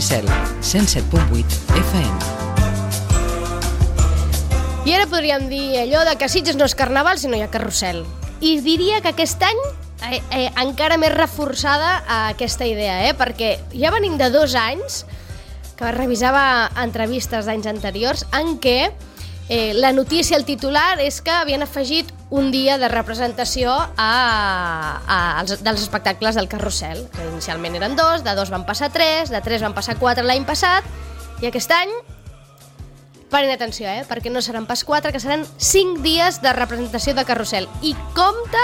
Cell, 107.8 FM. I ara podríem dir allò de que Sitges no és carnaval si no hi ha carrusel. I diria que aquest any encara més reforçada aquesta idea, perquè ja venim de 2 anys que revisava entrevistes d'anys anteriors en què la notícia, el titular, és que havien afegit un dia de representació dels espectacles del carrusel. Inicialment eren 2, de 2 van passar 3, de 3 van passar 4 l'any passat, i aquest any, paren atenció, perquè no seran pas 4, que seran 5 dies de representació de carrusel. I compte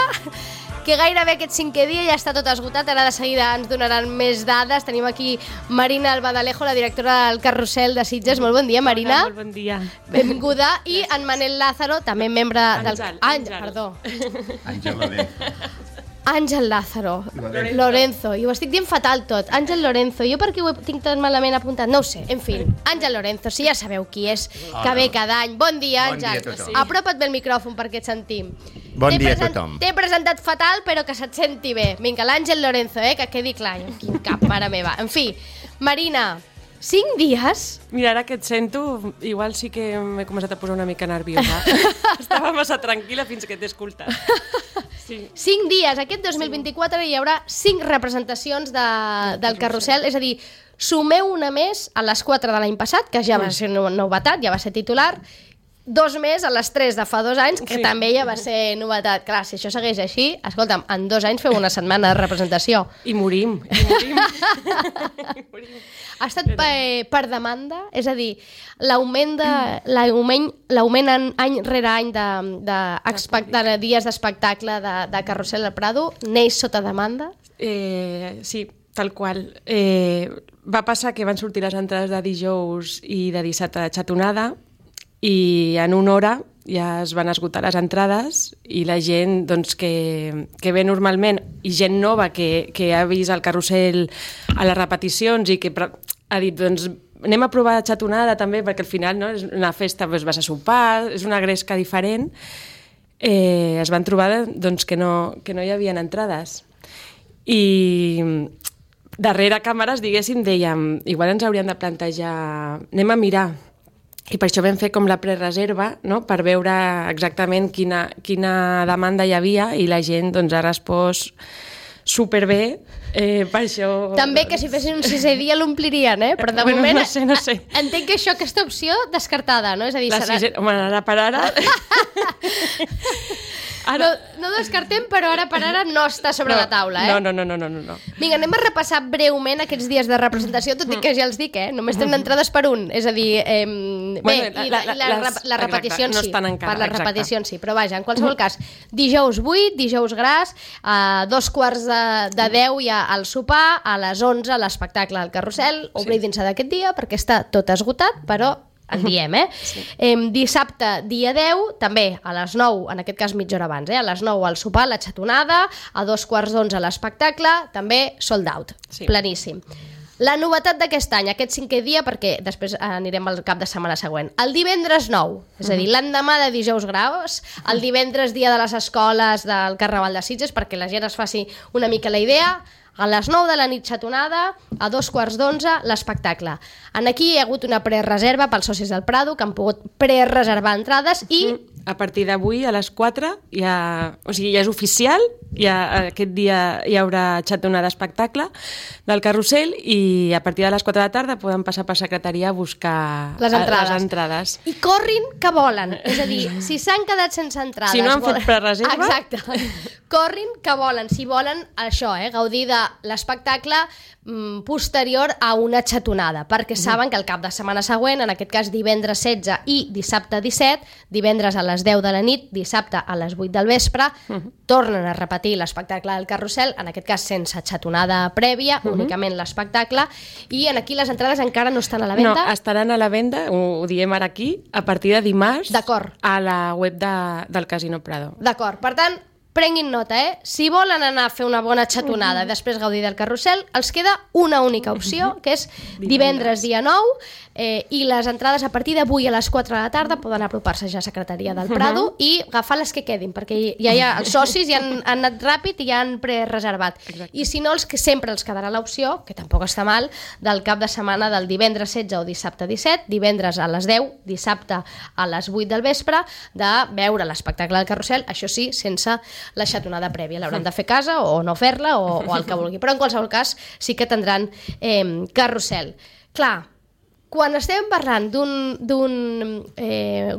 que gairebé aquest 5è dia ja està tot esgotat. Ara de seguida ens donaran més dades. Tenim aquí Marina Albadalejo, la directora del Carrusel de Sitges. Molt bon dia, Marina. Molt bon dia. Benvinguda. I en Manel Lázaro, també membre del... Àngel. Perdó. Àngel Lorenzo. Àngel Lázaro. Lorenzo. I ho estic dient fatal tot. Àngel Lorenzo. Jo per què ho tinc tan malament apuntat? No ho sé. En fi, Àngel Lorenzo, si ja sabeu qui és, que ve cada any. Bon dia, Àngel. Bon dia a tothom. Apropa't bé el micròfon perquè et sentim. Bon dia a tothom. T'he presentat fatal, però que se't senti bé. Vinga, l'Àngel Lorenzo, que quedi clar. Quin cap, mare meva. En fi, Marina, 5 dies? Mira, ara que et sento, igual sí que m'he començat a posar una mica nerviosa. Estava massa tranquil·la fins que t'he escoltat. Sí. 5 dies. Aquest 2024 hi haurà 5 representacions del Carrusel, és a dir, sumeu una més a les 4 de l'any passat, que ja va ser novetat, ja va ser titular, 2 més a les 3 de fa 2 anys, que també ja va ser novetat. Clar, si això segueix així, escolta'm, en 2 anys feu una setmana de representació. I morim. Ha estat per demanda? És a dir, l'augment any rere any de dies d'espectacle de Carrusel al Prado neix sota demanda? Sí, tal qual. Va passar que van sortir les entrades de dijous i de dissabte de xatonada i en una hora ja es van esgotar les entrades i la gent doncs, que ve normalment i gent nova que ha vist el Carrusel a les repeticions i que ha dit doncs, anem a provar xatonada també perquè al final no, és una festa, doncs, vas a sopar, és una gresca diferent, es van trobar doncs, que no hi havia entrades. I darrere càmeres, diguéssim, dèiem, igual ens hauríem de plantejar, anem a mirar. I per això vam fer com la prereserva, no? Per veure exactament quina demanda hi havia i la gent doncs, ha respost superbé, per això... També que si fessin un 6è dia l'omplirien, però de moment... No sé. Entenc que aquesta opció descartada, no? És a dir, Home, ara per ara... No descartem, però ara per ara no està sobre la taula, No. Vinga, anem a repassar breument aquests dies de representació, tot i que ja els dic, només tenen entrades per un, és a dir, les repeticions sí, per les repeticions sí, però vaja, en qualsevol cas, dijous 8, dijous gras, a 2:15 de 10 hi ha el sopar, a les 11 l'espectacle del Carrusel, oblidin-se d'aquest dia perquè està tot esgotat, però en diem, Sí. Dissabte, dia 10, també a les 9, en aquest cas mitja hora abans, a les 9 al sopar, la xatonada, a 2:15 l'espectacle, també sold out, planíssim. La novetat d'aquest any, aquest 5è dia, perquè després anirem al cap de setmana següent, el divendres 9, és a dir, l'endemà de dijous gros, el divendres dia de les escoles del Carnaval de Sitges, perquè la gent es faci una mica la idea, a les 9 de la nit xatonada, a 2:15 l'espectacle. Aquí hi ha hagut una prereserva pels socis del Prado que han pogut prereservar entrades i... A partir d'avui, a les 4, ja és oficial, aquest dia hi haurà xatonada d'espectacle del Carrusel i a partir de les 4 de la tarda poden passar per secretaria a buscar les entrades. I corrin que volen, és a dir, si s'han quedat sense entrades... Si no han fet prereserva... Exacte, corrin que volen, si volen això, gaudir de l'espectacle posterior a una xatonada, perquè saben que el cap de setmana següent, en aquest cas divendres 16 i dissabte 17, divendres a les 10 de la nit, dissabte a les 8 del vespre, tornen a repetir l'espectacle del Carrusel, en aquest cas sense xatonada prèvia, únicament l'espectacle, i aquí les entrades encara no estan a la venda. No, estaran a la venda, ho diem ara aquí, a partir de dimarts, a la web del Casino Prado. D'acord, per tant, prenguin nota, si volen anar a fer una bona xatonada i després gaudir del carrusel, els queda una única opció, que és divendres dia 9, i les entrades a partir d'avui a les 4 de la tarda poden apropar-se ja a Secretaria del Prado i agafar les que quedin, perquè ja hi ha els socis ja han anat ràpid i ja han prereservat. I si no, els que sempre els quedarà l'opció, que tampoc està mal, del cap de setmana del divendres 16 o dissabte 17, divendres a les 10, dissabte a les 8 del vespre, de veure l'espectacle del carrusel, això sí, sense la xatonada prèvia. L'hauran de fer a casa o no fer-la o el que vulgui. Però en qualsevol cas sí que tindran carrusel. Clar, quan estem parlant d'un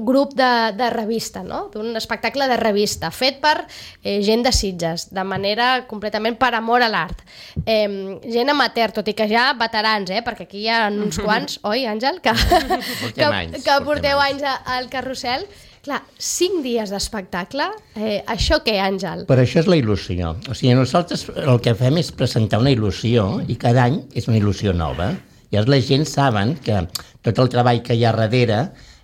grup de revista, no? D'un espectacle de revista fet per gent de Sitges, de manera completament per amor a l'art, gent amateur, tot i que ja veterans, perquè aquí hi ha uns quants, oi, Àngel? Que porteu anys al carrusel. Clar, 5 dies d'espectacle, això què, Àngel? Però això és la il·lusió. O sigui, nosaltres el que fem és presentar una il·lusió i cada any és una il·lusió nova. Llavors la gent saben que tot el treball que hi ha darrere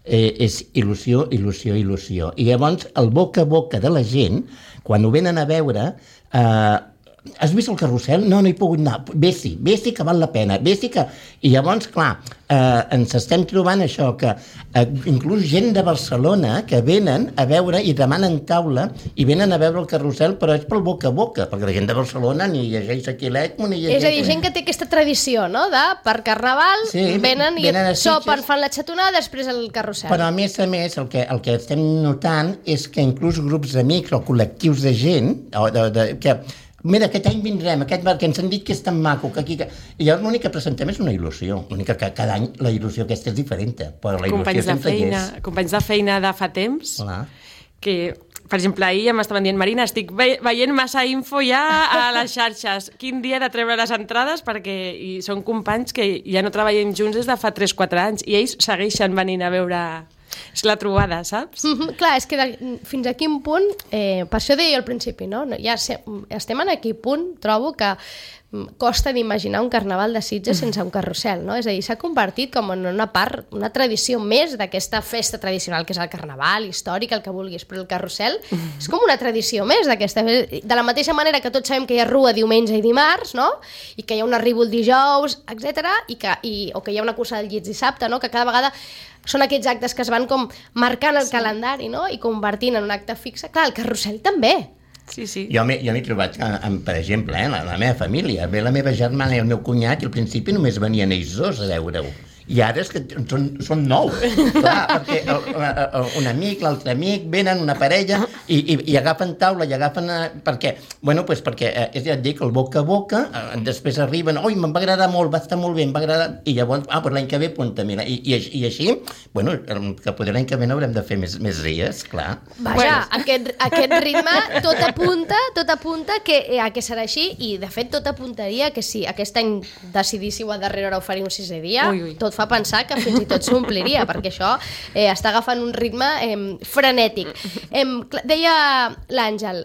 és il·lusió, il·lusió, il·lusió. I llavors el boca a boca de la gent, quan ho venen a veure, has vist el carrusel? No, no hi he pogut anar. Vés-hi, que val la pena. Vés-hi que... I llavors, clar, ens estem trobant això, que inclús gent de Barcelona que venen a veure i demanen taula i venen a veure el carrusel, però és pel boca a boca, perquè la gent de Barcelona ni llegeix Aquilet ni llegeix... És a dir, gent que té aquesta tradició, no?, de per Carnaval venen i sopen, fan la xatonada, després el carrusel. Però a més, el que estem notant és que inclús grups d'amics o col·lectius de gent que... Mira, aquest any vindrem, que ens han dit que és tan maco, que aquí... I llavors l'únic que presentem és una il·lusió. L'únic que cada any la il·lusió aquesta és diferent, però la il·lusió sempre hi és. Companys de feina de fa temps, que, per exemple, ahir ja m'estaven dient, Marina, estic veient massa info ja a les xarxes. Quin dia he de treure les entrades? Perquè són companys que ja no treballem junts des de fa 3-4 anys i ells segueixen venint a veure... És la trobada, saps? Clar, és que fins a quin punt, per això deia al principi, no? Ja estem en aquell punt, trobo que costa d'imaginar un carnaval de Sitges sense un carrusel, no? És a dir, s'ha convertit com en una part, una tradició més d'aquesta festa tradicional que és el carnaval, històric, el que vulguis, però el carrusel és com una tradició més d'aquesta... De la mateixa manera que tots sabem que hi ha rua diumenge i dimarts, no? I que hi ha un arribo el dijous, etc. O que hi ha una cursa del llits dissabte, no? Que cada vegada són aquests actes que es van com marcant el calendari, no? I convertint en un acte fixe. Clar, el carrusel també. Sí, sí. Jo m'he trobat, per exemple, la meva família, ve la meva germana i el meu cunyat, i al principi només venien ells dos a veure-ho. I ara és que són 9. Clar, perquè un amic, l'altre amic, venen una parella i agafen taula i agafen... Perquè, bueno, doncs perquè, ja et dic, el boca a boca, després arriben, oi, me'n va agradar molt, va estar molt bé, em va agradar... I llavors, doncs l'any que ve, apunta, mira. I així, bueno, que potser l'any que ve n'haurem de fer més dies, clar. Vaja, aquest ritme tot apunta que serà així, i de fet tot apuntaria que si aquest any decidíssiu a darrera hora oferir un 6è dia, tot fa pensar que fins i tot s'ompliria, perquè això està agafant un ritme frenètic. Deia l'Àngel,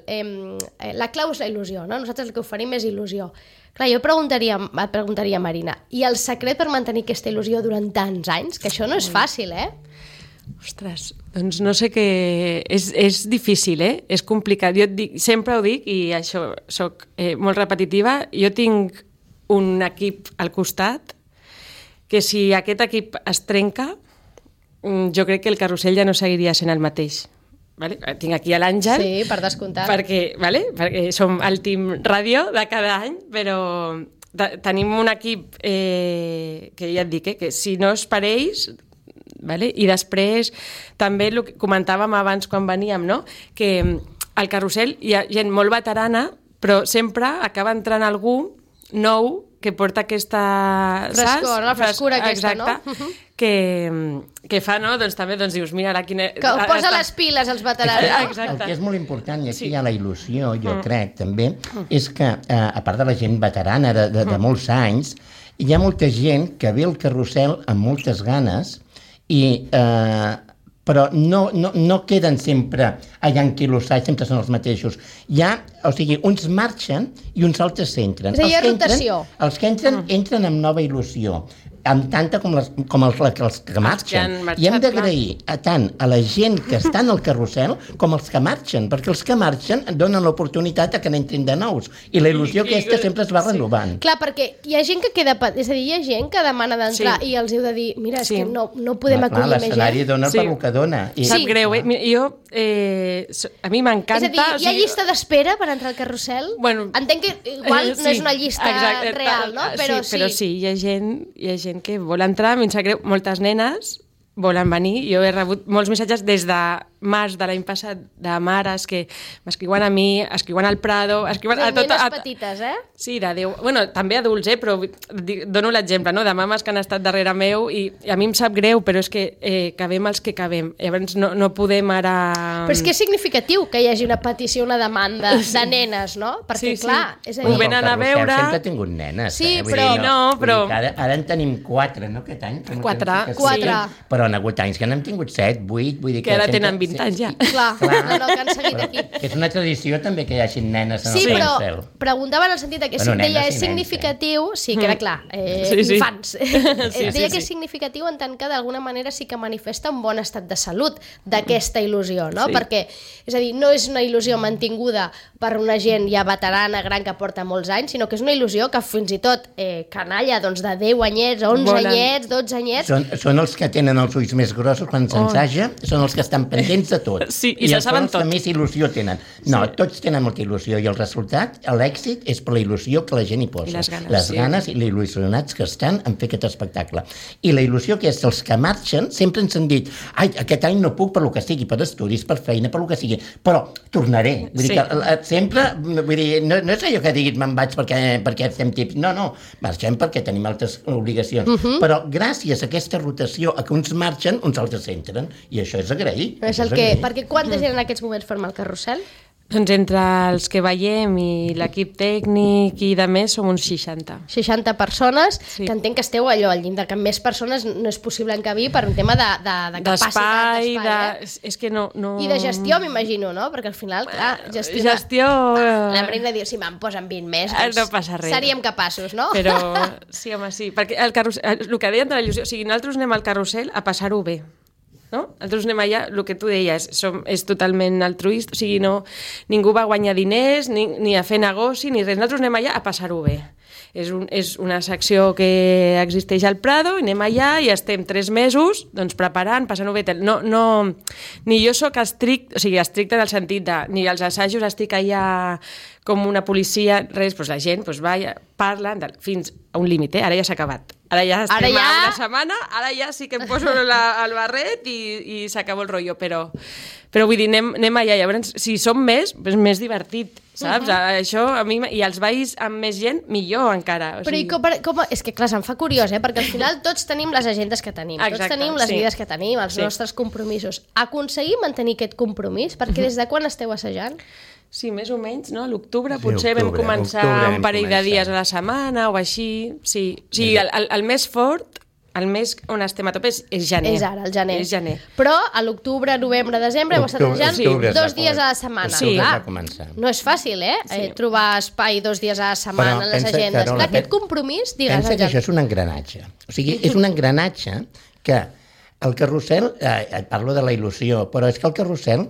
la clau és la il·lusió, no? Nosaltres el que oferim és il·lusió. Clar, jo et preguntaria, Marina, i el secret per mantenir aquesta il·lusió durant tants anys? Que això no és fàcil, Ostres, doncs no sé què... És difícil, és complicat. Jo sempre ho dic, i això soc molt repetitiva, jo tinc un equip al costat que si aquest equip es trenca, jo crec que el carrusel ja no seguiria sent el mateix. Vale? Tinc aquí a l'Àngel. Sí, per descomptat. Perquè som el team ràdio de cada any, però tenim un equip que ja et dic, que si no és per ells... Vale? I després també el que comentàvem abans quan veníem, no? Que al carrusel hi ha gent molt veterana, però sempre acaba entrant algú nou que porta aquesta... Frescor, la frescura aquesta, exacte, no? Que fa, no? Doncs també dius, mira, ara quina... Que posa les piles als veterans, no? Exacte. El que és molt important, i aquí hi ha la il·lusió, jo crec, també, és que, a part de la gent veterana de molts anys, hi ha molta gent que ve al carrusel amb moltes ganes però no queden sempre allà enquilossats, sempre són els mateixos. O sigui, uns marxen i uns altres entren. És a dir, rotació. Els que entren amb nova il·lusió. amb tanta com els que marxen. I hem d'agrair tant a la gent que està en el carrusel com els que marxen, perquè els que marxen donen l'oportunitat que n'entrin de nous. I la il·lusió aquesta sempre es va renovant. Clar, perquè hi ha gent que queda... És a dir, hi ha gent que demana d'entrar i els heu de dir, mira, és que no podem acollir més gent. L'escenari dona per el que dona. Sap greu, Jo... a mi m'encanta... És a dir, hi ha llista d'espera per entrar al carrusel? Entenc que igual no és una llista real, no? Però sí, hi ha gent que vol entrar, a mi em sap greu, moltes nenes volen venir. Jo he rebut molts missatges des de març de l'any passat de mares que m'escriuen a mi, escriuen al Prado, escriuen a tot... Nenes petites, Sí, de 10... Bueno, també adults, però dono l'exemple, no?, de mames que han estat darrere meu i a mi em sap greu, però és que cabem els que cabem. Llavors no podem ara... Però és que és significatiu que hi hagi una petició, una demanda de nenes, no? Perquè, clar, és a dir... Ho venen a veure... Sempre ha tingut nenes, Sí, però... Ara en tenim 4, no, aquest any? 4. Però han hagut anys que n'hem tingut 7, 8, vull dir que ara tenen 20 anys ja. Clar, no, que han seguit aquí. És una tradició també que hi hagi nenes en el carrusel. Sí, però preguntava en el sentit que deia és significatiu, sí, queda clar, infants. Deia que és significatiu en tant que d'alguna manera sí que manifesta un bon estat de salut d'aquesta il·lusió, no? Perquè, és a dir, no és una il·lusió mantinguda per una gent ja veterana, gran, que porta molts anys, sinó que és una il·lusió que fins i tot canalla, doncs de 10 anyets, 11 anyets, 12 anyets... Són els que tenen els ulls més grossos quan s'ensaja, són els que estan pendents de tot. Sí, i se saben tot. I els que més il·lusió tenen. No, tots tenen molta il·lusió i el resultat, l'èxit, és per la il·lusió que la gent hi posa. I les ganes. Les ganes i els il·lusionats que estan en fer aquest espectacle. I la il·lusió que és els que marxen sempre ens han dit aquest any no puc per lo que sigui, per estudis, per feina, per lo que sigui, però tornaré. Vull dir que sempre, vull dir, no és allò que diguis me'n vaig perquè fem tips. No, marxem perquè tenim altres obligacions. Però gràcies a aquesta rotació, a que uns marxen, uns altres entren. I això és agrair. Perquè quanta gent en aquests moments forma el carrusel? Doncs entre els que veiem i l'equip tècnic i de més som uns 60. 60 persones, que entenc que esteu allò al llindar, que més persones no és possible encabir per un tema de capacitat d'espai. És que no... I de gestió, m'imagino, no? Perquè al final, clar, gestió... La Marina diu, si me'n posen 20 més, doncs no passa res. Seríem capaços, no? Però sí, home, sí. Perquè el que deien de la il·lusió, o sigui, nosaltres anem al carrusel a passar-ho bé. No? Nosaltres anem allà, el que tu deies, és totalment altruista, o sigui, ningú va guanyar diners, ni a fer negoci, ni res. Nosaltres anem allà a passar-ho bé. És una secció que existeix al Prado, i anem allà i estem 3 mesos doncs, preparant, passant-ho bé. Ni jo sóc estricte en el sentit de, ni als assajos estic allà com una policia, res, doncs la gent va, parla fins a un límit, ara ja s'ha acabat. Ara ja estem a una setmana, ara ja sí que em poso el barret i s'acaba el rotllo, però vull dir, anem allà, llavors si som més, és més divertit, saps? Això a mi, i els balls amb més gent, millor encara. Però com, és que clar, se'm fa curiós, perquè al final tots tenim les agendes que tenim, tots tenim les vides que tenim, els nostres compromisos. Aconseguir mantenir aquest compromís, perquè des de quan esteu assajant? Sí, més o menys, no? A l'octubre potser vam començar un parell de dies a la setmana o així. Sí, el més fort, el mes on estem a tope és gener. És ara, el gener. És gener. Però a l'octubre, novembre, desembre heu estat assajant 2 dies a la setmana. Sí, no és fàcil, trobar espai 2 dies a la setmana en les agendes. Clar, aquest compromís, digues. Pensa que això és un engranatge. O sigui, és un engranatge que el carrusel, et parlo de la il·lusió, però és que el carrusel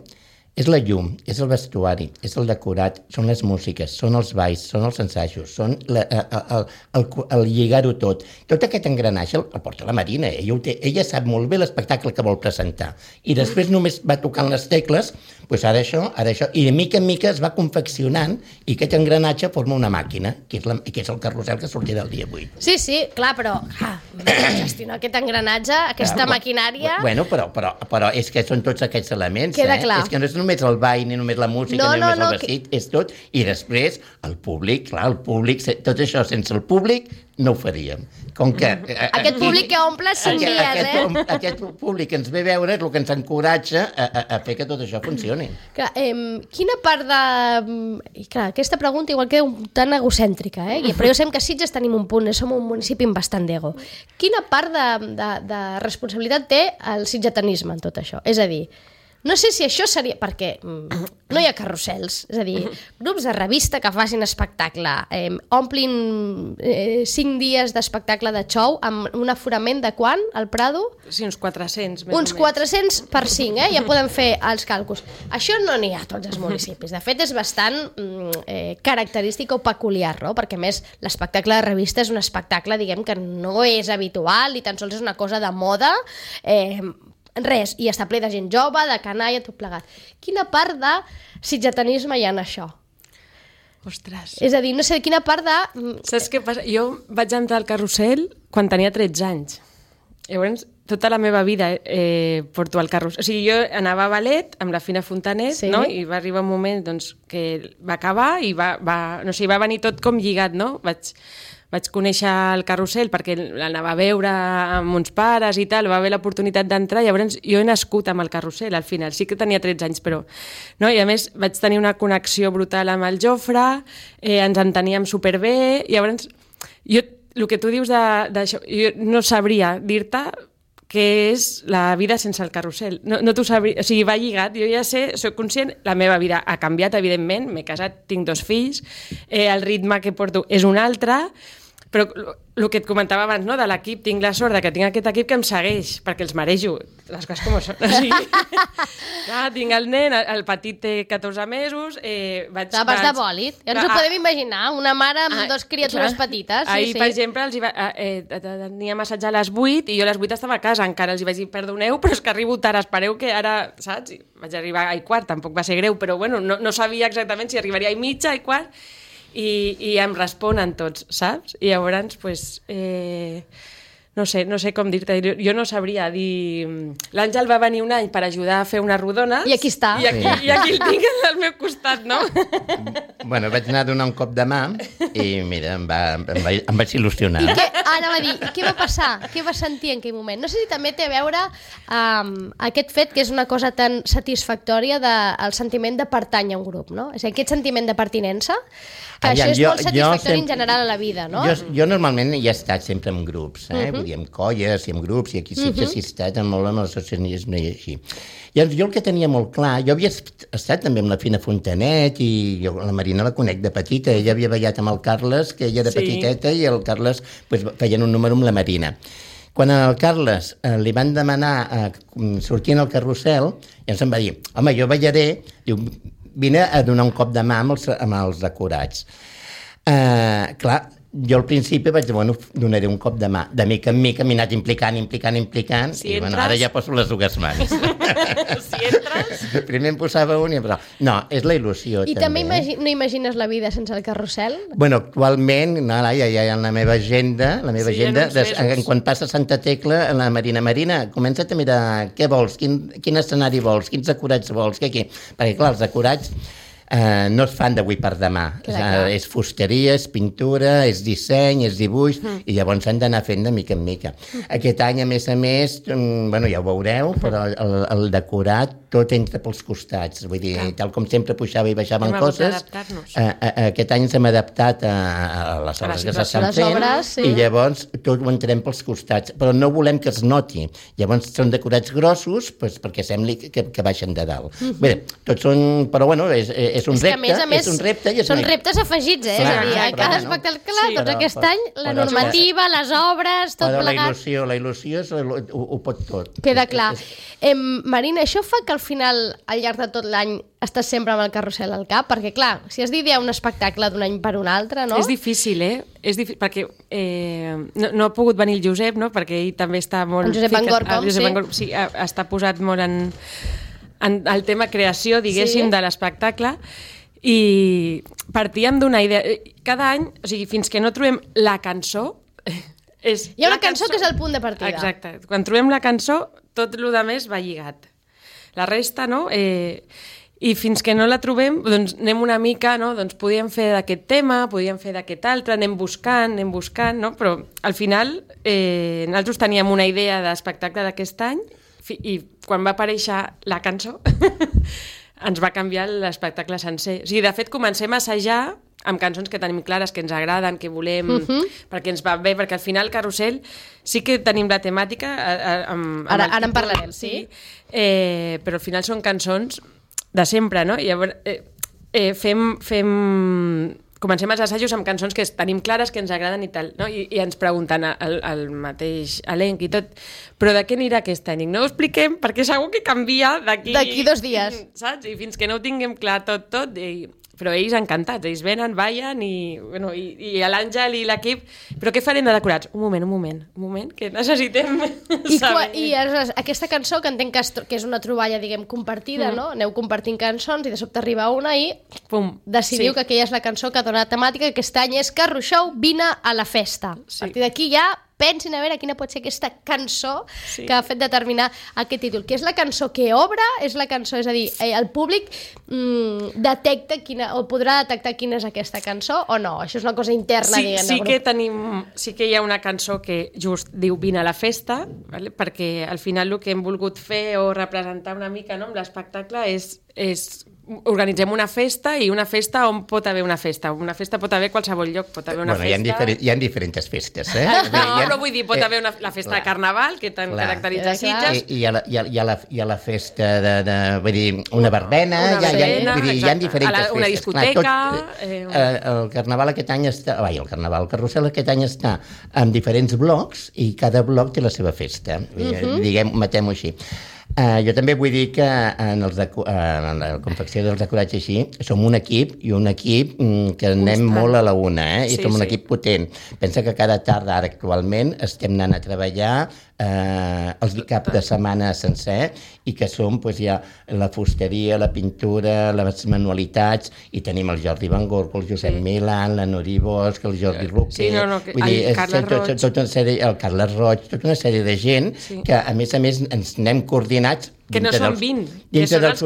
és la llum, és el vestuari, és el decorat, són les músiques, són els balls, són els ensajos, són el lligar-ho tot. Tot aquest engranatge el porta la Marina. Ella sap molt bé l'espectacle que vol presentar. I després només va tocant les tecles, doncs ara això, i de mica en mica es va confeccionant i aquest engranatge forma una màquina, que és el carrusel que sortirà el dia 8. Sí, clar, però gestionar aquest engranatge, aquesta maquinària... Bueno, però és que són tots aquests elements. Queda clar. És que no és només el ball, ni només la música, ni només el vestit, és tot. I després, el públic, tot això sense el públic no ho faríem. Com que... Aquest públic que omple 5 dies, Aquest públic que ens ve a veure és el que ens encoratja a fer que tot això funcioni. Clar, quina part de... Clar, aquesta pregunta igual queda tan egocèntrica, però jo sé que a Sitges tenim un punt, som un municipi amb bastant d'ego. Quina part de responsabilitat té el sitgetanisme en tot això? És a dir, No sé si això seria... Perquè no hi ha carrusels. És a dir, grups de revista que facin espectacle, omplin 5 dies d'espectacle de xou amb un aforament de quant, al Prado? Sí, uns 400. Uns 400 per 5, ja podem fer els càlculs. Això no n'hi ha a tots els municipis. De fet, és bastant característic o peculiar, no? Perquè, a més, l'espectacle de revista és un espectacle, diguem, que no és habitual i tan sols és una cosa de moda, res, i està ple de gent jove, de canalla, tot plegat. Quina part de sitgetanisme hi ha en això? Ostres. És a dir, no sé, quina part de... Saps què passa? Jo vaig entrar al carrusel quan tenia 13 anys. Llavors, tota la meva vida porto al carrusel. O sigui, jo anava a ballet amb la Fina Fontanet, sí, no? I va arribar un moment doncs, que va acabar i va venir tot com lligat, no? Vaig conèixer el carrusel perquè l'anava a veure amb uns pares i tal, va haver l'oportunitat d'entrar, llavors jo he nascut amb el carrusel al final, sí que tenia 13 anys, però... No? I a més vaig tenir una connexió brutal amb el Jofre, ens enteníem superbé, llavors jo, el que tu dius d'això, jo no sabria dir-te què és la vida sense el carrusel. No t'ho sabria, o sigui, va lligat, jo ja sé, soc conscient, la meva vida ha canviat, evidentment, m'he casat, tinc 2 fills, el ritme que porto és un altre, però el que et comentava abans, no? De l'equip, tinc la sort que tinc aquest equip que em segueix, perquè els marejo, les coses com són. O sigui, tinc el nen, el petit té 14 mesos... Vas de bòlit, ja ens ho podem imaginar, una mare amb 2 criatures petites. Ahir, per exemple, tenia massatge a les 8 i jo a les 8 estava a casa encara, els vaig dir, perdoneu, però és que arribo tard, espereu que ara, saps? Vaig arribar a 1:15, tampoc va ser greu, però bueno, no sabia exactament si arribaria a 1:30, 1:15, i em responen tots, saps? I llavors, pues, no sé com dir-te, jo no sabria dir... L'Àngel va venir un any per ajudar a fer una rodona. I aquí està. I aquí el tinc al meu costat, no? Bueno, vaig anar a donar un cop de mà i mira, em vaig il·lusionar. I ara va dir, què va passar? Què va sentir en aquell moment? No sé si també té a veure aquest fet que és una cosa tan satisfactòria del sentiment de pertànyer a un grup, no? És a dir, aquest sentiment de pertinença, que això és molt satisfactori en general a la vida, no? Jo normalment hi he estat sempre en grups, vull dir, amb colles i amb grups, i aquí sí que he estat molt amb l'associacionisme i així. Llavors, jo el que tenia molt clar, jo havia estat també amb la Fina Fontanet i jo la Marina la conec de petita, ella havia ballat amb el Carles, que ella era petiteta, i el Carles feien un número amb la Marina. Quan al Carles li van demanar sortir al carrusel, llavors em va dir, home, jo ballaré, diu, vine a donar un cop de mà amb els decorats. Clar, jo al principi vaig dir, bueno, donaré un cop de mà. De mica en mica m'he anat implicant, si i bueno, ara ja poso les 2 mans. Si entres... Primer em posava un i em posava... No, és la il·lusió, I també no imagines la vida sense el carrusel? Bueno, actualment, no, ja en la meva agenda, quan passa Santa Tecla, la Marina, comença't a mirar què vols, quin escenari vols, quins decorats vols, què? Perquè, clar, els decorats no es fan d'avui per demà. És fusteria, és pintura, és disseny, és dibuix, i llavors s'han d'anar fent de mica en mica. Aquest any, a més, bueno, ja ho veureu, però el decorat tot entra pels costats. Vull dir, tal com sempre pujava i baixaven coses, aquest any ens hem adaptat a les obres que s'estan fent, i llavors tot ho entrem pels costats, però no volem que es noti. Llavors són decorats grossos perquè sembli que baixen de dalt. Bé, tots són... Però bueno, és un repte. Són reptes afegits, és a dir, a cada espectacle, doncs aquest any, la normativa, les obres, tot plegat. Però la il·lusió ho pot tot. Queda clar. Marina, això fa que al final, al llarg de tot l'any, estàs sempre amb el carrusel al cap? Perquè, clar, si has d'idear un espectacle d'un any per un altre, no? És difícil, És difícil, perquè no ha pogut venir el Josep, no? Perquè ell també està molt... El Josep Angorcom, sí. Sí, està posat molt en el tema creació, diguéssim, de l'espectacle, i partíem d'una idea. Cada any, o sigui, fins que no trobem la cançó... Hi ha una cançó que és el punt de partida. Exacte. Quan trobem la cançó, tot el que més va lligat. La resta, no? I fins que no la trobem, doncs anem una mica, no? Doncs podíem fer d'aquest tema, podíem fer d'aquest altre, anem buscant, no? Però al final nosaltres teníem una idea d'espectacle d'aquest any i quan va aparèixer la cançó ens va canviar l'espectacle sencer. O sigui, de fet, comencem a assajar amb cançons que tenim clares, que ens agraden, que volem, perquè ens va bé, perquè al final Carrusel sí que tenim la temàtica... Ara en parlarem, sí. Però al final són cançons de sempre, no? I llavors comencem els assajos amb cançons que tenim clares, que ens agraden i tal, no? I ens pregunten el mateix elenc i tot, però de què anirà aquest any? No ho expliquem perquè segur que canvia d'aquí 2 dies. Saps? I fins que no ho tinguem clar tot, però ells encantats, ells venen, ballen i l'Àngel i l'equip, però què farem de decorats? Un moment, que necessitem saber. I aquesta cançó, que entenc que és una troballa, diguem, compartida, no? Aneu compartint cançons i de sobte arriba una i decidiu que aquella és la cançó que dona la temàtica, que aquest any és Carruixou, vine a la festa. A partir d'aquí ja pensin a veure quina pot ser aquesta cançó que ha fet determinar aquest títol, que és la cançó que obre, és la cançó, és a dir, el públic detecta o podrà detectar quina és aquesta cançó o no? Això és una cosa interna, diguem. Sí que hi ha una cançó que just diu vine a la festa, vale? Perquè al final el que hem volgut fer o representar una mica, no, amb l'espectacle és organitzem una festa, i una festa on pot haver una festa. Una festa pot haver a qualsevol lloc, pot haver una festa... Hi ha diferents festes, però vull dir, pot haver la festa de Carnaval, que tant caracteritza Sitges. Hi ha la festa vull dir, una verbena, hi ha diferents festes. Una discoteca... El Carnaval aquest any està... el Carrusel aquest any està en diferents blocs, i cada bloc té la seva festa. Diguem, matem-ho així. Jo també vull dir que en la confecció dels decorats així som un equip, que anem molt a la una, i som un equip potent. Pensa que cada tarda, ara actualment, estem anant a treballar els cap de setmana sencer, i que som ja la fusteria, la pintura, les manualitats, i tenim el Jordi Van Gorgo, el Josep Milán, la Nuri Bosch, el Jordi Roquer, el Carles Roig, tota una sèrie de gent que a més ens anem coordinats que no són 20, dintre dels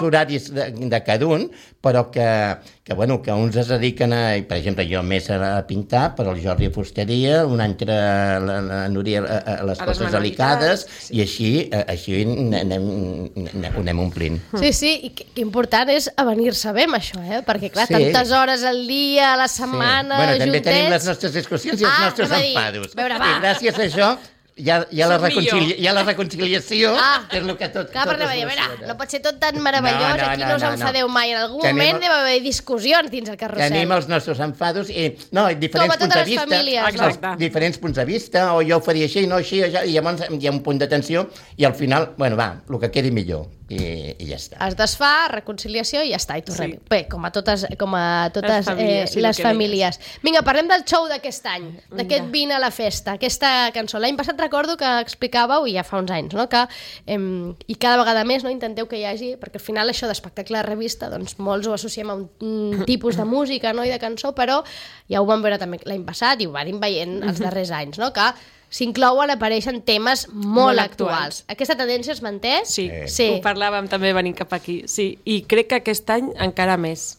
horaris de cada un, però que uns es dediquen per exemple, jo més a pintar, però el Jordi a fusteria, un altre la Núria a les coses delicades, i així ho anem omplint. Sí, i que important és avenir-se bé amb això, perquè clar, tantes hores al dia, a la setmana, juntets... També tenim les nostres discussions i els nostres enfados. I gràcies a això hi ha la reconciliació, que és el que tot soluciona. No pot ser tot tan meravellós, aquí no us enfadeu mai. En algun moment deu haver discussions dins el carrusel. Tenim els nostres enfados i diferents punts de vista. Diferents punts de vista, o jo ho faria així, no així, i llavors hi ha un punt de tensió, i al final, el que quedi millor. I ja està. Es desfà, reconciliació i ja està, i tornem. Bé, com a totes les famílies. Vinga, parlem del show d'aquest any, d'aquest Vine a la festa, aquesta cançó. L'any passat recordo que explicàveu, i ja fa uns anys, que i cada vegada més intenteu que hi hagi, perquè al final això d'espectacle de revista, doncs molts ho associem a un tipus de música i de cançó, però ja ho vam veure també l'any passat i ho vam veient els darrers anys, que s'inclouen, apareixen temes molt actuals. Aquesta tendència es manté? Sí. Ho parlàvem també venint cap aquí. Sí, i crec que aquest any encara més.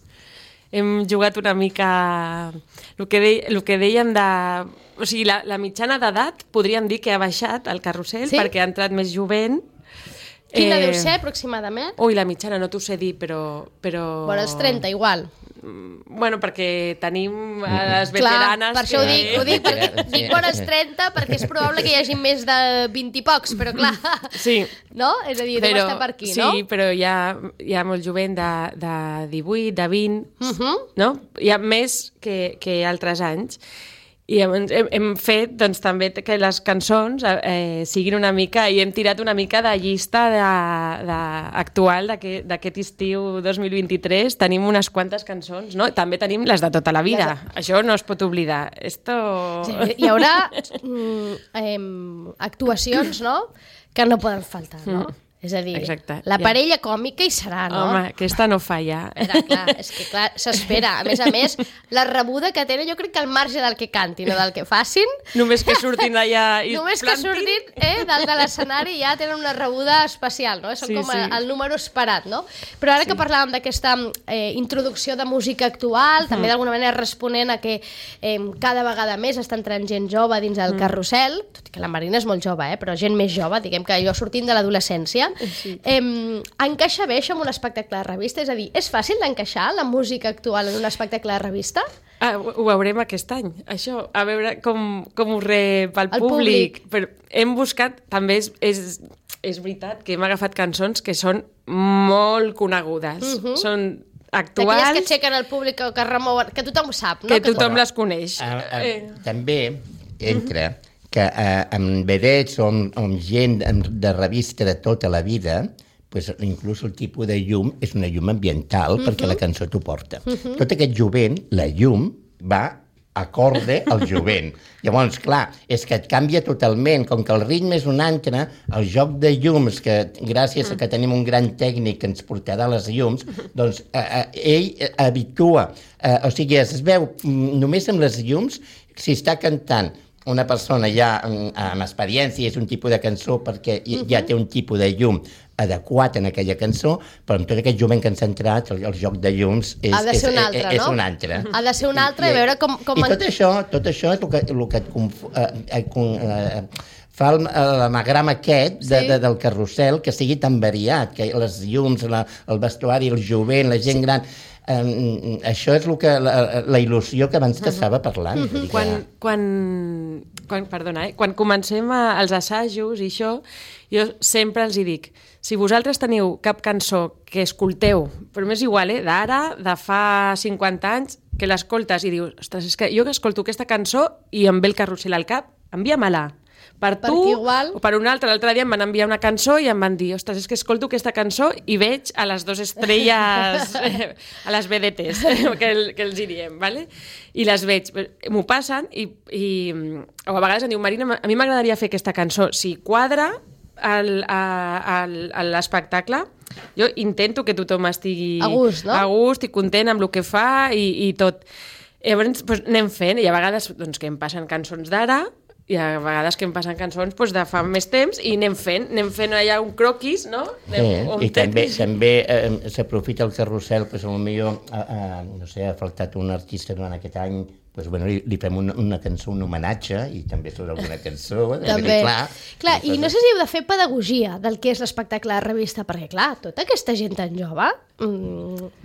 Hem jugat una mica... El que dèiem de... O sigui, la mitjana d'edat podríem dir que ha baixat al carrusel, perquè ha entrat més jovent. Quina deu ser, aproximadament? Ui, la mitjana no t'ho sé dir, però... Bueno, els 30, igual. Bueno, perquè tenim les veteranes... Clar, per això ho dic, perquè dic els 30, perquè és probable que hi hagi més de 20 i pocs, però clar, no? És a dir, deu estar per aquí, no? Sí, però hi ha molt jovent de 18, de 20, no? Hi ha més que altres anys. I hem fet doncs, també que les cançons siguin una mica, i hem tirat una mica de llista actual d'aquest estiu 2023. Tenim unes quantes cançons, no? També tenim les de tota la vida. Això no es pot oblidar. Hi haurà actuacions, no?, que no poden faltar, no? És a dir, la parella còmica hi serà, no? Home, aquesta no falla. Clar, és que clar, s'espera. A més, la rebuda que tenen, jo crec que al marge del que cantin o del que facin... Només que surtin allà i només que surtin dalt de l'escenari ja tenen una rebuda especial, no? Són com el número esperat, no? Però ara que parlàvem d'aquesta introducció de música actual, també d'alguna manera responent a que cada vegada més està entrant gent jove dins el carrusel, tot i que la Marina és molt jove, però gent més jove, diguem que allò sortint de l'adolescència, Catalunya. Encaixa bé això en un espectacle de revista? És a dir, és fàcil d'encaixar la música actual en un espectacle de revista? Ho veurem aquest any, això, a veure com ho rep el públic. Però hem buscat, també és veritat que hem agafat cançons que són molt conegudes, són actuals... D'aquelles que aixequen el públic o que remouen, que tothom sap, no? Que tothom les coneix. També entra que amb vedets o amb gent de revista de tota la vida, pues, inclús el tipus de llum és una llum ambiental perquè la cançó t'ho porta. Tot aquest jovent, la llum, va acorde al jovent. Llavors, clar, és que et canvia totalment, com que el ritme és un altre, el joc de llums, que gràcies a que tenim un gran tècnic que ens portarà les llums, doncs ell habitua, o sigui, es veu només amb les llums, si està cantant una persona ja amb experiència, és un tipus de cançó perquè ja té un tipus de llum adequat en aquella cançó, però amb tot aquest jovent que ens ha entrat, el joc de llums és un altre, no? És un altre. Ha de ser un altre, i veure com... I tot això és el que et fa l'anagrama aquest del carrusel, que sigui tan variat, que les llums, el vestuari, el jovent, la gent gran... això és la il·lusió que abans t'estava parlant. Quan comencem els assajos i això, jo sempre els hi dic, si vosaltres teniu cap cançó que escolteu, però m'és igual, d'ara, de fa 50 anys, que l'escoltes i dius, ostres, és que jo que escolto aquesta cançó i em ve el carrusel al cap, envia-me-la. Per tu igual... o per un altre. L'altre dia em van enviar una cançó i em van dir, ostres, és que escolto aquesta cançó i veig a les 2 estrelles, a les vedetes, que els hi diem, ¿vale? I les veig, m'ho passen i o a vegades em diu, Marina, a mi m'agradaria fer aquesta cançó, si quadra a l'espectacle, jo intento que tothom estigui a gust, no? A gust i content amb el que fa i tot. Llavors doncs, anem fent, i a vegades doncs, que em passen cançons d'ara, i a vegades que em passen cançons doncs, de fa més temps i anem fent allà un croquis, no? I també s'aprofita el carrusel, doncs potser no sé, ha faltat un artista durant aquest any, doncs, bueno, li fem una cançó, un homenatge, i també surt alguna cançó. També. Clar, i no sé si heu de fer pedagogia del que és l'espectacle de revista, perquè, clar, tota aquesta gent tan jove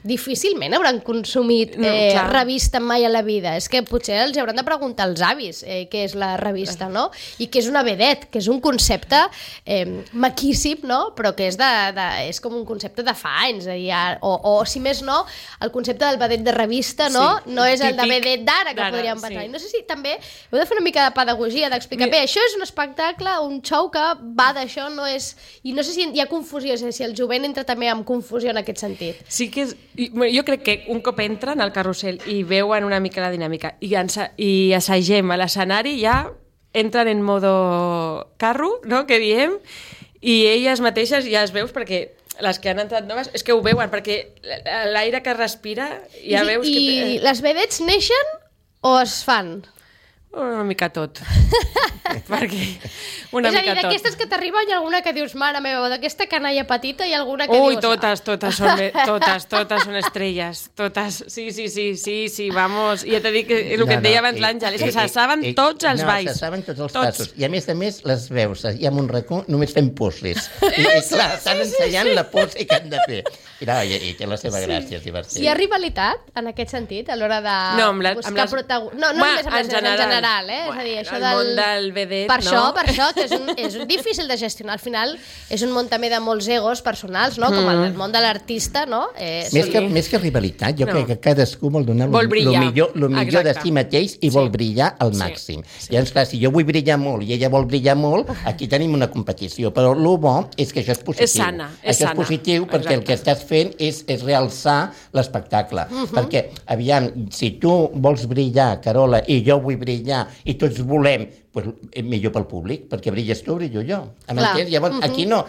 difícilment hauran consumit revista mai a la vida. És que potser els hauran de preguntar als avis què és la revista, no? I què és una vedet, que és un concepte maquíssim, no? Però que és com un concepte de fa anys. O si més no, el concepte del vedet de revista, no? No és el de vedet d'ara, que podríem pensar. No sé si també heu de fer una mica de pedagogia, d'explicar, bé, això és un espectacle, un show que va d'això, no és... I no sé si hi ha confusió, si el jovent entra també amb confusió en aquest sentit. Sí que jo crec que un cop entren al carrusel i veuen una mica la dinàmica i assagem a l'escenari, ja entren en modo carro, no?, que diem, i elles mateixes ja es veus, perquè les que han entrat noves és que ho veuen, perquè l'aire que respira ja veus que... I les vedets neixen o es fan? Una mica tot. Perquè una mica tot. És a dir, d'aquestes que t'arriben hi ha alguna que dius, mare meva, d'aquesta canalla petita hi ha alguna que dius... totes són estrelles. Totes, sí, vamos. I ja t'he dit que el que et deia abans l'Àngel, és que se saben tots els balls. Se saben tots els passos. I a més les veus, hi ha un racó només fent puzzles. I clar, estan ensenyant la pose que han de fer. I té la seva gràcia, és divertit. Hi ha rivalitat, en aquest sentit, a l'hora de buscar protagonistes? No, només amb les en general, és a dir, això el món del vedet, per això, que és difícil de gestionar. Al final és un món també de molts egos personals, no? Com el món de l'artista, no? Més que rivalitat, jo crec que cadascú vol donar el millor de si mateix i vol brillar al màxim. Llavors, clar, si jo vull brillar molt i ella vol brillar molt, aquí tenim una competició, però el bo és que això és positiu. És sana. Això és positiu perquè el que estàs fent és realçar l'espectacle. Perquè, aviam, si tu vols brillar, Carola, i jo vull brillar, i tots volem, millor pel públic, perquè brilles tu, brillo jo. Llavors, aquí no.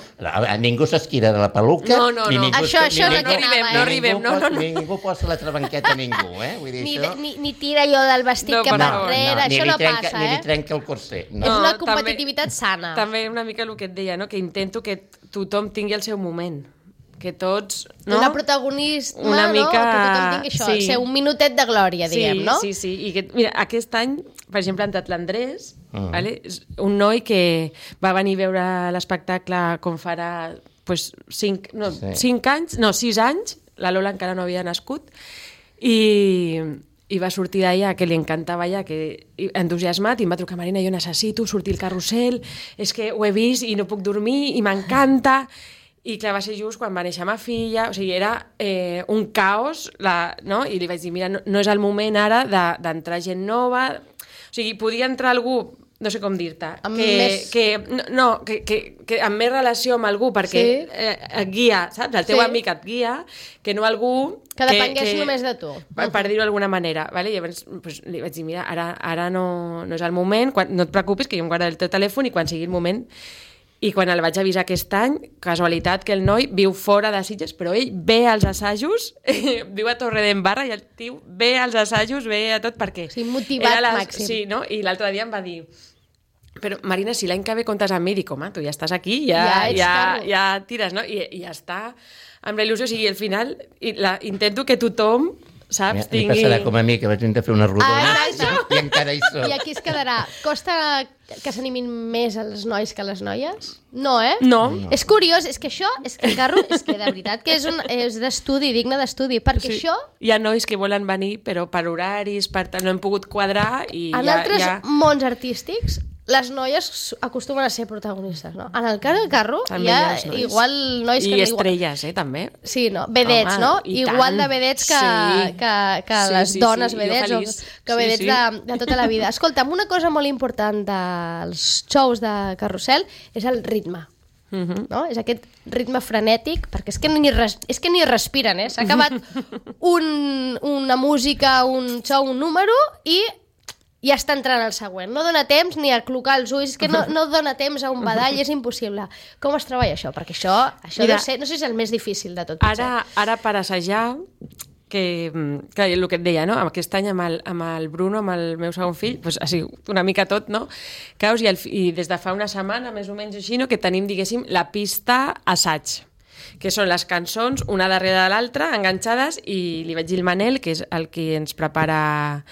Ningú s'esquira de la peluca. No. Això no arribem. Ningú posa la trabanqueta a ningú, Ni tira jo del vestit cap enrere, això no passa, Ni li trenca el corset. És una competitivitat sana. També una mica el que et deia, que intento que tothom tingui el seu moment. Que tots... Una protagonisme, una mica... que tothom tingui això, ser un minutet de glòria, diguem, no? Sí. I que, mira, aquest any, per exemple, ha entrat l'Andrés, vale? Un noi que va venir a veure l'espectacle com farà pues, 6 anys, la Lola encara no havia nascut, i va sortir d'allà, que li encantava allà, que entusiasmat, i em va trucar: Marina, jo necessito sortir al carrusel, és que ho he vist i no puc dormir i m'encanta. I clar, va ser just quan va néixer ma filla, o sigui, era un caos, no? I li vaig dir: mira, no és el moment ara d'entrar gent nova, o sigui, podia entrar algú, no sé com dir-te, que amb més relació amb algú, perquè et guia, saps? El teu amic et guia, que no algú... Que depengués només de tu. Per dir-ho d'alguna manera. Vale? Llavors li vaig dir: mira, ara no és el moment, no et preocupis, que jo em guardaré el teu telèfon i quan sigui el moment... I quan el vaig avisar aquest any, casualitat que el noi viu fora de Sitges, però ell ve als assajos, viu a Torredembarra, i el tio ve als assajos, ve a tot, perquè... Sí, motivat màxim. Sí, no? I l'altre dia em va dir: però Marina, si l'any que ve comptes amb mi, dic: home, tu ja estàs aquí, ja tires, no? I ja està amb la il·lusió, o sigui, al final intento que tothom, saps, tingui... Li passarà com a mi, que vaig intentar fer una rodona i encara hi soc. I aquí es quedarà. Costa que s'animin més els nois que les noies? No, eh? No. És curiós, és que això, és que el carro, és que de veritat que és d'estudi, digne d'estudi, perquè això... Hi ha nois que volen venir, però per horaris, no hem pogut quadrar i en altres mons artístics, les noies acostumen a ser protagonistes, no? En el cas del carro hi ha igual nois que... I estrelles, també. Sí, no? Vedets, no? Igual de vedets que les dones vedets o que vedets de tota la vida. Escolta'm, una cosa molt important dels shows de carrusel és el ritme. No? És aquest ritme frenètic, perquè és que ni respiren, s'ha acabat una música, un show, un número i ja està entrant el següent. No dona temps ni a clocar els ulls, que no dona temps a un badall, és impossible. Com es treballa això? Perquè això deu ser, no sé si és el més difícil de tot. Ara per assajar, que el que et deia, no? Aquest any amb el Bruno, amb el meu segon fill, doncs ha sigut una mica tot, no? Caos, i des de fa una setmana, més o menys així, que tenim, diguéssim, la pista assaig, que són les cançons una darrere de l'altra, enganxades, i li vaig dir al Manel, que és el que ens prepara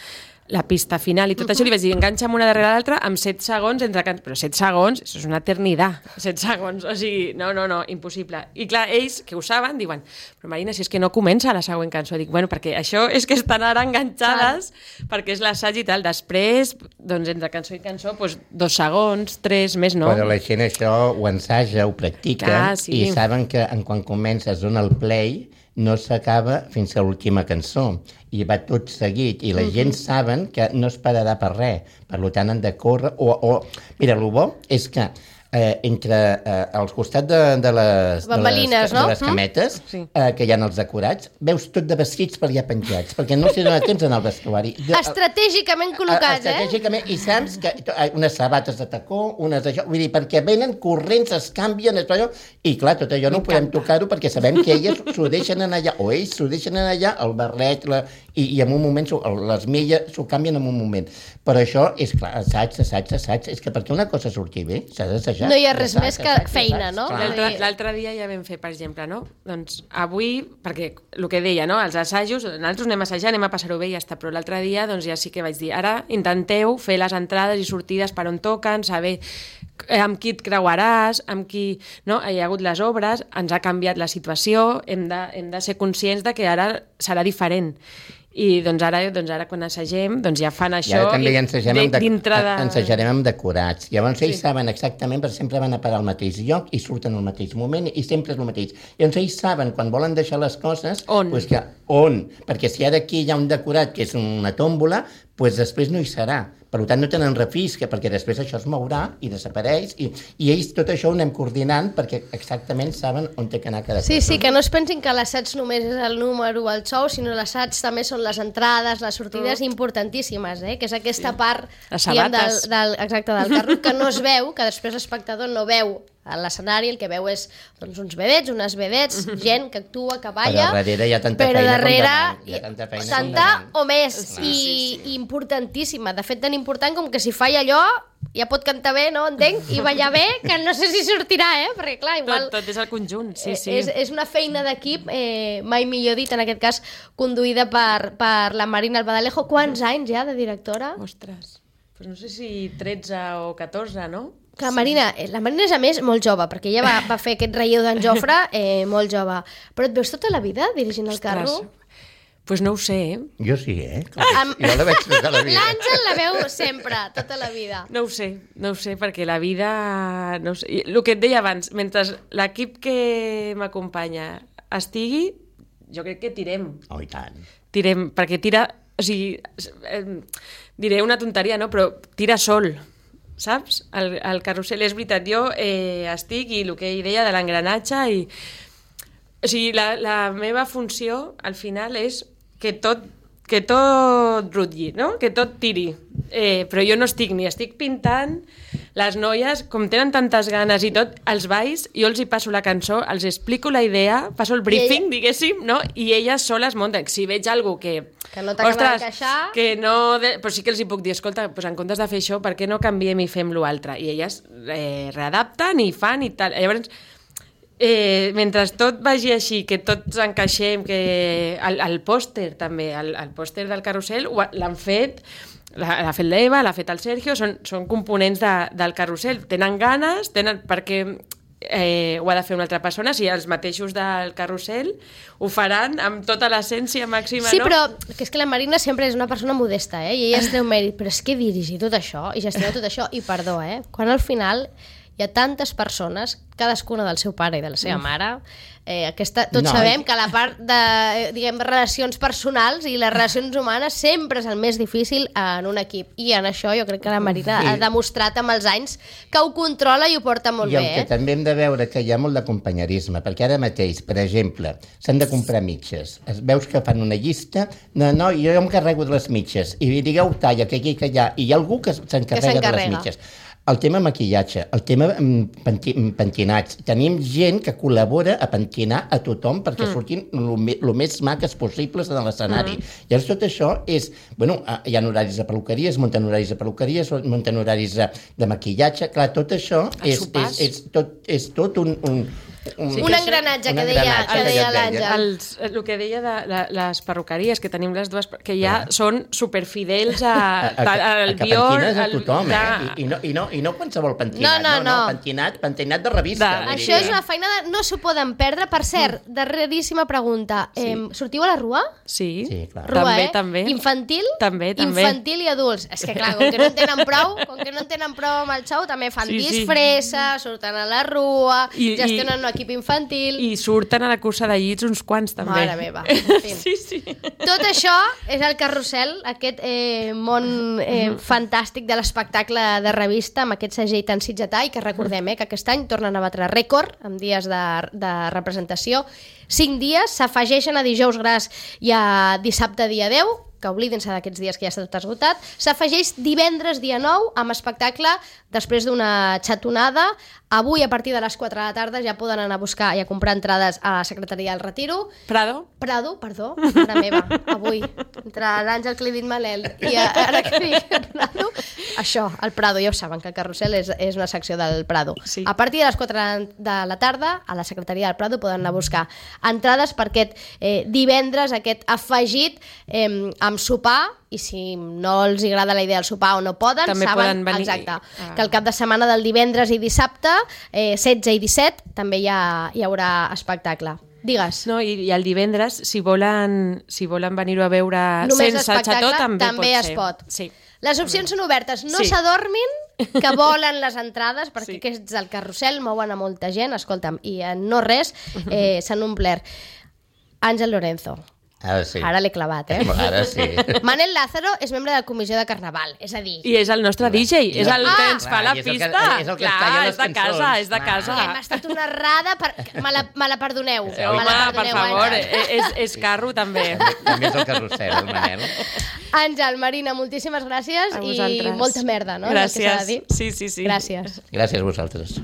la pista final i tot això, li vaig dir: enganxa'm una darrere l'altra amb 7 segons entre cançons. Però 7 segons, això és una eternitat, 7 segons, o sigui, no, impossible. I clar, ells, que ho saben, diuen: però Marina, si és que no comença la següent cançó. Dic: bueno, perquè això és que estan ara enganxades, perquè és l'assaig i tal. Després, doncs, entre cançó i cançó, doncs 2 segons, 3, més no. Però la gent això ho ensaja, ho practica, i saben que quan comences dona el play, no s'acaba fins a l'última cançó, i va tot seguit, i la gent saben que no es pararà per res, per tant han de córrer, mira, el bo és que entre als costats de les bambalines, no? De les cametes, que hi ha els decorats, veus tot de vestits per allà penjats, perquè no s'hi dona temps en el vestuari. Estratègicament col·locats, estratègicament, i saps que unes sabates de tacó, unes d'això, vull dir, perquè venen corrents, es canvien, i clar, tot allò no podem tocar-ho perquè sabem que elles s'ho deixen anar allà, o ells s'ho deixen anar allà, el barret, i en un moment les milles s'ho canvien en un moment. Però això és clar, assaig, és que perquè una cosa surti bé s'ha d'assajar. No hi ha res més que feina, no? L'altre dia ja vam fer, per exemple, no? Doncs avui, perquè el que deia, no? Els assajos, nosaltres anem a assajar, anem a passar-ho bé i ja està, però l'altre dia doncs ja sí que vaig dir: ara intenteu fer les entrades i sortides per on toquen, saber amb qui et creuaràs, amb qui... No? Hi ha hagut les obres, ens ha canviat la situació, hem de ser conscients de que ara serà diferent. I doncs ara quan assagem doncs ja fan això. I ara també ensajarem amb decorats. Llavors ells saben exactament, perquè sempre van a parar al mateix lloc i surten al mateix moment i sempre és el mateix. Llavors ells saben, quan volen deixar les coses, on? Perquè si ara aquí hi ha un decorat que és una tòmbola, doncs després no hi serà. Per tant, no tenen refisca, perquè després això es mourà i desapareix, i ells tot això ho anem coordinant perquè exactament saben on té que anar cada cosa. Sí, que no es pensin que l'assaig només és el número, el show, sinó l'assaig també són les entrades, les sortides importantíssimes, que és aquesta part del carro que no es veu, que després l'espectador no veu a l'escenari, el que veu és uns vedets, unes vedets, gent que actua, que balla, però darrere hi ha tanta feina tanta o més, i importantíssima, de fet tan important com que si fa allò ja pot cantar bé, no? Entenc? I ballar bé, que no sé si sortirà, perquè clar, igual... Tot és el conjunt, sí. És una feina d'equip, mai millor dit, en aquest cas conduïda per la Marina Albadalejo. Quants anys ja de directora? Ostres, doncs no sé si 13 o 14, no? Que la Marina és, a més, molt jove, perquè ella va fer aquest relleu d'en Jofre molt jove. Però et veus tota la vida dirigint el carro? Pues no ho sé, Jo sí, Jo la veig tota la vida. L'Àngel la veu sempre, tota la vida. No ho sé, perquè la vida... No ho sé. El que et deia abans, mentre l'equip que m'acompanya estigui, jo crec que tirem. Oh, i tant. Tirem, perquè tira... O sigui, diré una tonteria, no? Però tira sol, saps? El carrusel, és veritat, jo estic, i el que ell deia de l'engranatge, i... O sigui, la meva funció, al final, és que tot rutlli, no? Que tot tiri. Però jo no estic pintant. Les noies, com tenen tantes ganes i tot, els balls, jo els hi passo la cançó, els explico la idea, passo el briefing, diguéssim, no? I elles soles munten. Si veig algú que no t'acaba d'encaixar... que no... Però sí que els hi puc dir, escolta, doncs en comptes de fer això, per què no canviem i fem l'altre? I elles readapten i fan i tal. Llavors, mentre tot vagi així, que tots encaixem, que el pòster també, el pòster del carrusel l'han fet... L'ha fet l'Eva, l'ha fet el Sergio, són components del carrusel. Tenen ganes, perquè ho ha de fer una altra persona, si els mateixos del carrusel ho faran amb tota l'essència màxima, sí, no? Però que és que la Marina sempre és una persona modesta, i ella es treu mèrit, però és que dirigir tot això i gestionar tot això, i perdó, quan al final hi ha tantes persones, cadascuna del seu pare i de la seva mare, tots sabem que la part de, diguem, relacions personals i les relacions humanes sempre és el més difícil en un equip, i en això jo crec que la Marina ha demostrat amb els anys que ho controla i ho porta molt bé. I el que també hem de veure que hi ha molt d'acompanyarisme, perquè ara mateix, per exemple, s'han de comprar mitges. Veus que fan una llista, no, jo em carrego de les mitges, i digueu talla, que aquí, que allà, i hi ha algú que s'encarrega de les mitges. El tema maquillatge, el tema pentinats. Tenim gent que col·labora a pentinar a tothom perquè surtin el més maques possibles de l'escenari. Llavors tot això és... Bueno, hi ha horaris de peluqueria, es munten horaris de peluqueria, es munten horaris de maquillatge. Clar, tot això és tot un engranatge que deia l'Àngel. El que deia de les perruqueries, que tenim les dues, que ja són superfidels al bio... Que pentines a tothom, I no qualsevol pentinat, no, pentinat de revista. Això és una feina no s'ho poden perdre. Per cert, darreríssima pregunta. Sortiu a la Rua? Sí, clar. Rua, també. Infantil? També. Infantil i adults. És que clar, com que no en tenen prou amb el xou, també fan disfressa, surten a la Rua, gestionen un equip infantil... I surten a la cursa de llits uns quants, també. Mare meva. Sí. Tot això és el carrusel, aquest món fantàstic de l'espectacle de revista, amb aquest segell tan sitgetà, i que recordem que aquest any tornen a batre rècord en dies de representació. 5 dies, s'afegeixen a dijous gras i a dissabte dia 10, que oblidin-se d'aquests dies que ja està tot esgotat. S'afegeix divendres dia 9 amb espectacle després d'una xatonada. Avui, a partir de les 4 de la tarda, ja poden anar a buscar i a comprar entrades a la Secretaria del Retiro. Prado, perdó, mare meva, avui, entre l'Àngel que li he dit Manel i ara que dic Prado, això, el Prado, ja ho saben, que el carrusel és una secció del Prado. Sí. A partir de les 4 de la tarda, a la Secretaria del Prado poden anar a buscar entrades per aquest divendres, aquest afegit amb sopar, i si no els agrada la idea del sopar o no poden, també saben poden venir, exacte, que el cap de setmana del divendres i dissabte, 16 i 17, també hi haurà espectacle. Digues. No, i el divendres, si volen venir-ho a veure només sense xató, també es pot. Sí. Les opcions són obertes, no s'adormin, que volen les entrades, perquè aquests del carrusel mouen a molta gent, escolta'm, i no res, s'han omplert. Àngel Lorenzo. Ara sí. Ara l'he clavat, Ara sí. Manel Lázaro és membre de la comissió de Carnaval, és a dir... I és el nostre DJ, és el que ens fa la pista. És el que es talla les cançons. És de casa. Hem estat una errada, me la perdoneu. Home, per favor, és carro també. També és el carrusel, el Manel. Àngel, Marina, moltíssimes gràcies i molta merda, no? Gràcies. Sí. Sí. Gràcies. Gràcies a vosaltres.